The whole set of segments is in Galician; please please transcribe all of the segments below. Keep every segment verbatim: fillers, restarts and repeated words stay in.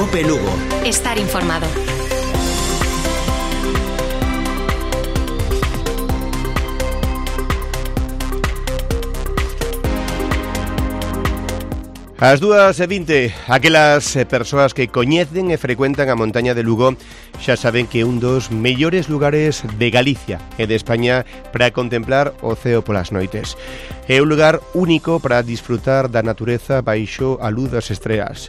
COPE Lugo. Estar informado. As dúas e vinte, aquelas persoas que coñecen e frecuentan a montaña de Lugo xa saben que é un dos mellores lugares de Galicia e de España para contemplar o ceo polas noites. É un lugar único para disfrutar da natureza baixo a luz das estreas.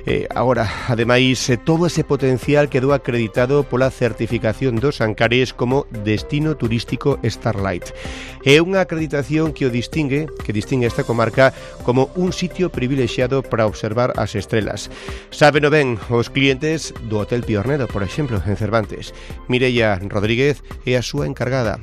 Eh, agora, ademais, todo ese potencial quedou acreditado pola certificación dos Ancares como destino turístico Starlight. É unha acreditación que o distingue, que distingue esta comarca como un sitio privilexiado para observar as estrelas. Sábeno ben os clientes do Hotel Piornedo, por exemplo, en Cervantes. Mireia Rodríguez é a súa encargada.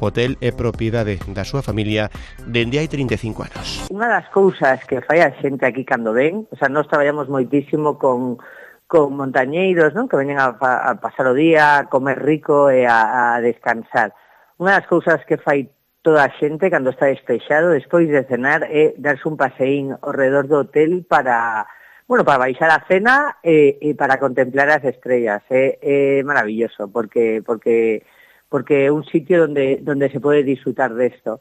O hotel é propiedade da súa familia dende hai trinta e cinco anos. Unha das cousas que fai a xente aquí cando ven, o sea, nós traballamos moitísimo con, con montañeiros, non? Que veñen a, a pasar o día, a comer rico e a, a descansar. Unha das cousas que fai toda a xente cando está despexado despois de cenar é darse un paseín ao redor do hotel para, bueno, para baixar a cena e, e para contemplar as estrellas. É, é maravilloso porque porque porque é un sitio donde donde se pode disfrutar desto.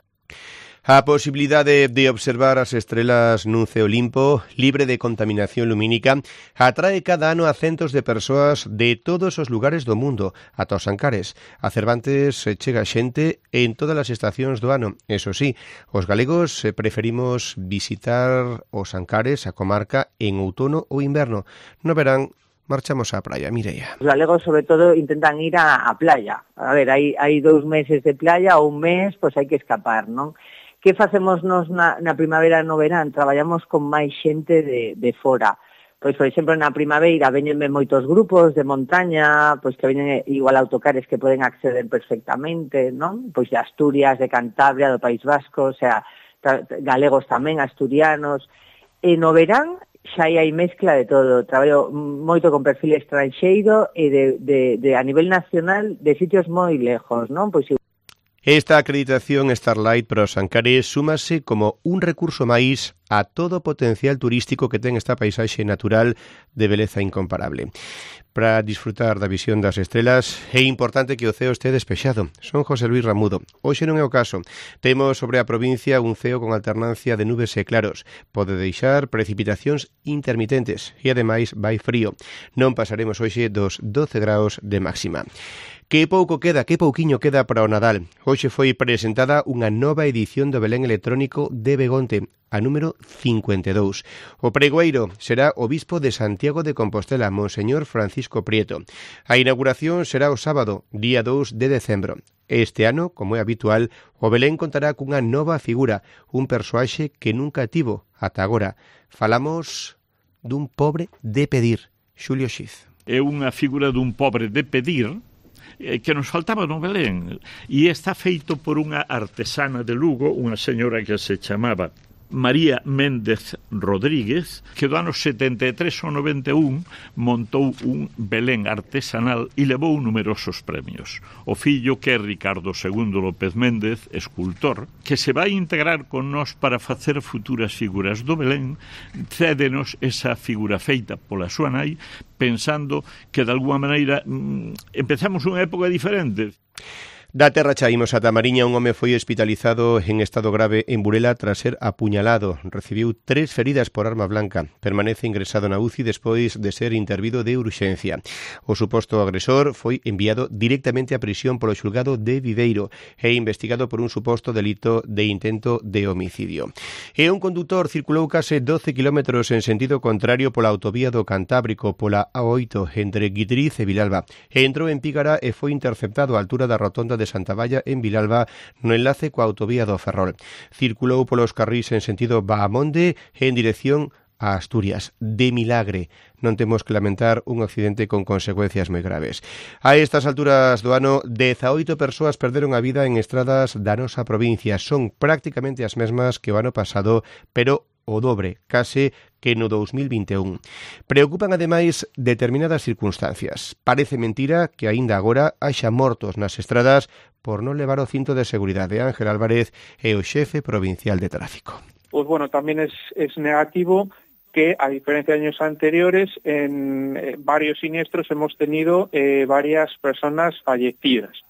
A posibilidade de observar as estrelas nun ceo limpo, libre de contaminación lumínica, atrae cada ano a centos de persoas de todos os lugares do mundo, ata os Ancares. A Cervantes chega xente en todas as estacións do ano. Eso sí, os galegos preferimos visitar os Ancares, a comarca, en outono ou inverno. No verán, marchamos á praia, Mireia. Os galegos, sobre todo, intentan ir á, á playa. A ver, hai, hai dous meses de playa ou un mes, pois hai que escapar, non? Que facemos nos na, na primavera e no verán? Traballamos con máis xente de, de fora. Pois, por exemplo, na primavera veñenme moitos grupos de montaña, pois que veñen igual autocares que poden acceder perfectamente, non? Pois de Asturias, de Cantabria, do País Vasco, o sea, galegos tamén, asturianos. E no verán xa hai mezcla de todo. Traballo moito con perfil estranxeiro e de, de, de a nivel nacional de sitios moi lejos, non? Pois esta acreditación Starlight para os Ancares súmase como un recurso máis a todo o potencial turístico que ten esta paisaxe natural de beleza incomparable. Para disfrutar da visión das estrelas é importante que o ceo este despexado. Son José Luis Ramudo. Hoxe non é o caso. Temos sobre a provincia un ceo con alternancia de nubes e claros. Pode deixar precipitacións intermitentes e ademais vai frío. Non pasaremos hoxe dos doce graus de máxima. Que pouco queda, que pouquiño queda para o Nadal. Hoxe foi presentada unha nova edición do Belén electrónico de Begonte, a número cincuenta e dous. O pregoeiro será o bispo de Santiago de Compostela, Monseñor Francisco Prieto. A inauguración será o sábado, día dous de decembro. Este ano, como é habitual, o Belén contará cunha nova figura, un persoaxe que nunca tivo ata agora. Falamos dun pobre de pedir, Xulio Xiz. É unha figura dun pobre de pedir que nos faltaba no Belén, e está feito por unha artesana de Lugo, unha señora que se chamaba María Méndez Rodríguez, que do ano setenta e tres ao noventa e un montou un Belén artesanal e levou numerosos premios. O fillo, que é Ricardo segundo López Méndez, escultor, que se vai integrar con nós para facer futuras figuras do Belén, cédenos esa figura feita pola súa nai, pensando que de alguma maneira mmm, empezamos unha época diferente. Da terra chaímos a Tamariña, un home foi hospitalizado en estado grave en Burela tras ser apuñalado. Recibiu tres feridas por arma blanca. Permanece ingresado na U C I despois de ser intervido de urxencia. O suposto agresor foi enviado directamente a prisión polo xulgado de Viveiro e investigado por un suposto delito de intento de homicidio. E un condutor circulou case doce kilómetros en sentido contrario pola autovía do Cantábrico, pola A oito, entre Guidriz e Vilalba. E entrou en Pígara e foi interceptado á altura da rotonda de Santavalla en Vilalba no enlace coa autovía do Ferrol. Circulou polos carrís en sentido Bahamonde e en dirección a Asturias. De milagre, non temos que lamentar un accidente con consecuencias moi graves. A estas alturas do ano, dezaoito persoas perderon a vida en estradas da nosa provincia. Son prácticamente as mesmas que o ano pasado, pero o dobre, case que no dous mil vinte e un. Preocupan, ademais, determinadas circunstancias. Parece mentira que aínda agora haxa mortos nas estradas por non levar o cinto de seguridade. Ángel Álvarez é o xefe provincial de tráfico. Pues bueno, tamén es, es negativo que, a diferencia de años anteriores, en eh, varios siniestros hemos tenido eh, varias personas fallecidas.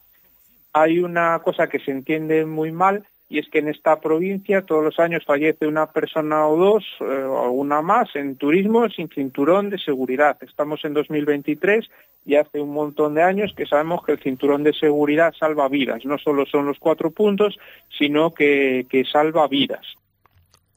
Hay una cosa que se entiende muy mal, y es que en esta provincia todos los años fallece una persona o dos, eh, o alguna más, en turismo sin cinturón de seguridad. Estamos en dos mil veintitrés y hace un montón de años que sabemos que el cinturón de seguridad salva vidas. No solo son los cuatro puntos, sino que, que salva vidas.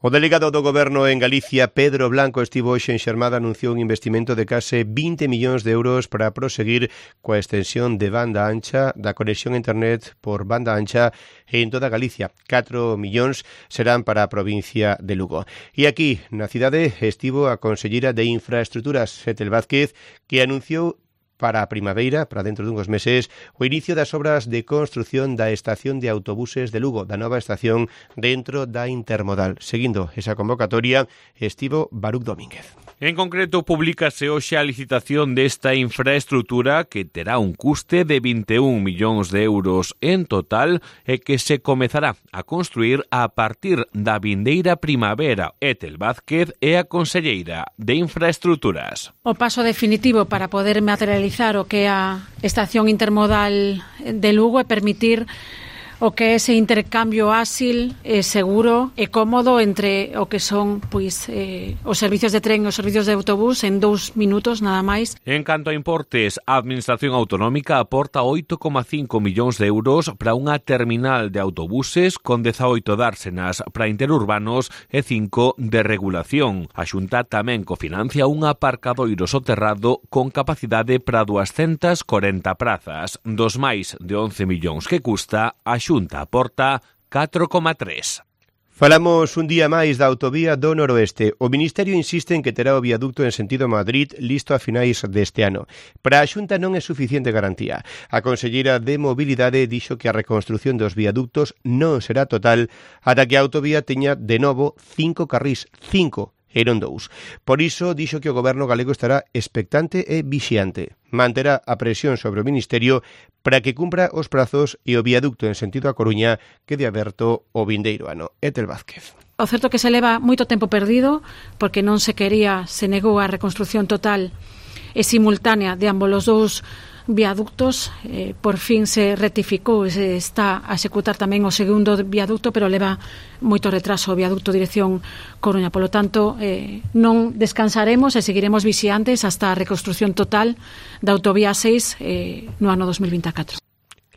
O delegado do Goberno en Galicia, Pedro Blanco, estivo hoxe en Xermada, anunciou un investimento de case vinte millóns de euros para proseguir coa extensión de banda ancha da conexión a internet por banda ancha en toda Galicia. catro millóns serán para a provincia de Lugo. E aquí, na cidade, estivo a conselleira de Infraestruturas, Ethel Vázquez, que anunciou para a primavera, para dentro dunhos meses, o inicio das obras de construción da estación de autobuses de Lugo, da nova estación dentro da intermodal. Seguindo esa convocatoria, estivo Baruch Domínguez. En concreto, publícase hoxe a licitación desta infraestrutura que terá un custe de vinte e un millóns de euros en total e que se comezará a construir a partir da vindeira primavera. Ethel Vázquez é a conselleira de Infraestruturas. O paso definitivo para poder materializar o que é a estación intermodal de Lugo e permitir o que é ese intercambio áxil, e seguro e cómodo entre o que son pois eh, os servicios de tren e os servicios de autobús en dous minutos nada máis. En canto a importes, a Administración Autonómica aporta oito coma cinco millóns de euros para unha terminal de autobuses con dezaoito dársenas para interurbanos e cinco de regulación. A Xunta tamén cofinancia un aparcadoiro soterrado con capacidade para duascentas corenta prazas. Dos máis de once millóns que custa, a Xunta Xunta aporta catro coma tres. Falamos un día máis da autovía do Noroeste. O Ministerio insiste en que terá o viaducto en sentido Madrid listo a finais deste ano. Para a Xunta non é suficiente garantía. A conselleira de Mobilidade dixo que a reconstrución dos viaductos non será total ata que a autovía teña de novo cinco carrís, cinco eran dous. Por iso, dixo que o Goberno galego estará expectante e vixiante. Manterá a presión sobre o Ministerio para que cumpra os prazos e o viaducto en sentido a Coruña quede aberto o vindeiro ano. Ethel Vázquez. O certo que se leva moito tempo perdido porque non se quería, se negou a reconstrucción total e simultánea de ambos os dous viaductos. Eh, por fin se rectificou e se está a executar tamén o segundo viaducto, pero leva moito retraso o viaducto dirección Coruña. Polo tanto, eh, non descansaremos e seguiremos vixiantes hasta a reconstrucción total da autovía seis eh, no ano dos mil vinte e catro.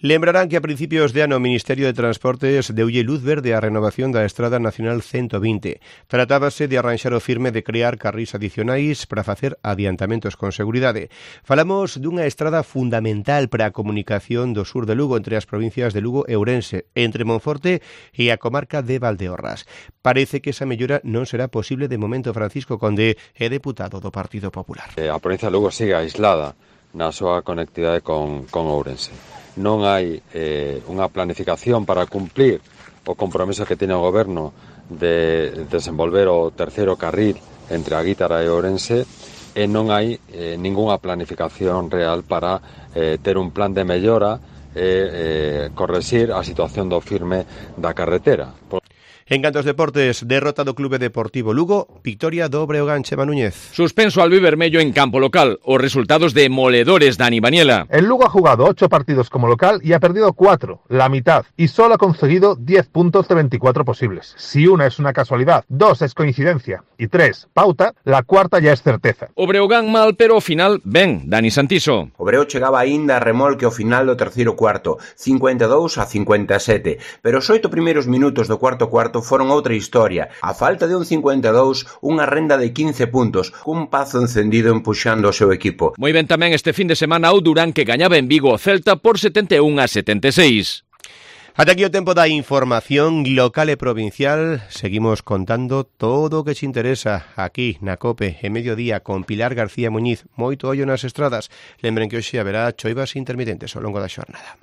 Lembrarán que a principios de ano o Ministerio de Transportes deulle luz verde á renovación da Estrada Nacional ciento vinte. Tratábase de arranxar o firme de crear carrís adicionais para facer adiantamentos con seguridade. Falamos dunha estrada fundamental para a comunicación do sur de Lugo entre as provincias de Lugo e Ourense, entre Monforte e a comarca de Valdeorras. Parece que esa mellora non será posible de momento. Francisco Conde é deputado do Partido Popular. A provincia de Lugo sigue aislada na súa conectividade con, con Ourense. Non hai eh, unha planificación para cumplir o compromiso que tiene o Goberno de desenvolver o terceiro carril entre a Guítara e Ourense, e non hai eh, ningunha planificación real para eh, ter un plan de mellora e eh, correxir a situación do firme da carretera. Por... En canto aos deportes, derrota do Clube Deportivo Lugo, victoria do Breogán, Chema Núñez. Suspenso albivermello en campo local, os resultados demoledores Dani Baniela. El Lugo ha jugado ocho partidos como local y ha perdido cuatro, la mitad, y solo ha conseguido diez puntos de veinticuatro posibles. Si una es una casualidad, dos es coincidencia y tres, pauta, la cuarta ya es certeza. O Breogán mal, pero ao final ben, Dani Santiso. O Breo chegaba aínda a remolque ao final do terceiro cuarto, cincuenta e dous a cincuenta e sete, pero os oito primeiros minutos do cuarto cuarto foron outra historia. A falta de un cincuenta e dous, unha renda de quince puntos, cun pazo encendido empuxando o seu equipo. Moi ben tamén este fin de semana o Durán, que gañaba en Vigo o Celta por setenta e un a setenta e seis. Ata aquí o tempo da información local e provincial. Seguimos contando todo o que te interesa aquí na COPE en mediodía con Pilar García Muñiz. Moito ollo nas estradas. Lembren que hoxe haberá choivas intermitentes ao longo da xornada.